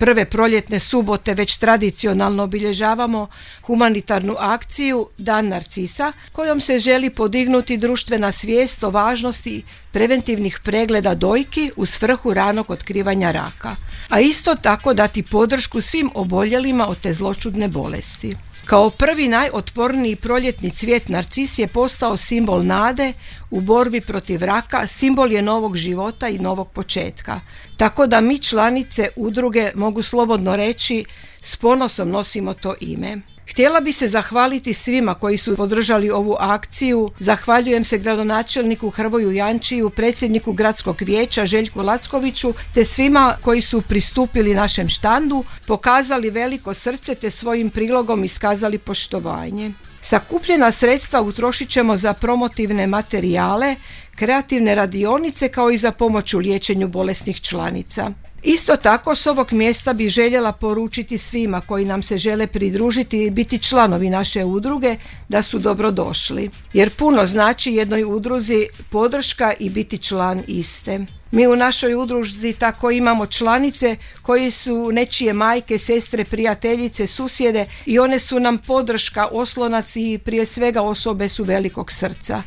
Prve proljetne subote već tradicionalno obilježavamo humanitarnu akciju Dan Narcisa, kojom se želi podignuti društvena svijest o važnosti preventivnih pregleda dojki u svrhu ranog otkrivanja raka, a isto tako dati podršku svim oboljelima od te zloćudne bolesti. Kao prvi najotporniji proljetni cvijet narcis je postao simbol nade u borbi protiv raka, simbol je novog života i novog početka. Tako da mi članice udruge mogu slobodno reći s ponosom nosimo to ime. Htjela bi se zahvaliti svima koji su podržali ovu akciju. Zahvaljujem se gradonačelniku Hrvoju Jančiju, predsjedniku gradskog vijeća Željku Lackoviću te svima koji su pristupili našem štandu, pokazali veliko srce te svojim prilogom iskazali poštovanje. Sakupljena sredstva utrošit ćemo za promotivne materijale, kreativne radionice kao i za pomoć u liječenju bolesnih članica. Isto tako s ovog mjesta bih željela poručiti svima koji nam se žele pridružiti i biti članovi naše udruge da su dobrodošli. Jer puno znači jednoj udruzi podrška i biti član iste. Mi u našoj udruzi tako imamo članice koji su nečije majke, sestre, prijateljice, susjede i one su nam podrška, oslonac i prije svega osobe su velikog srca.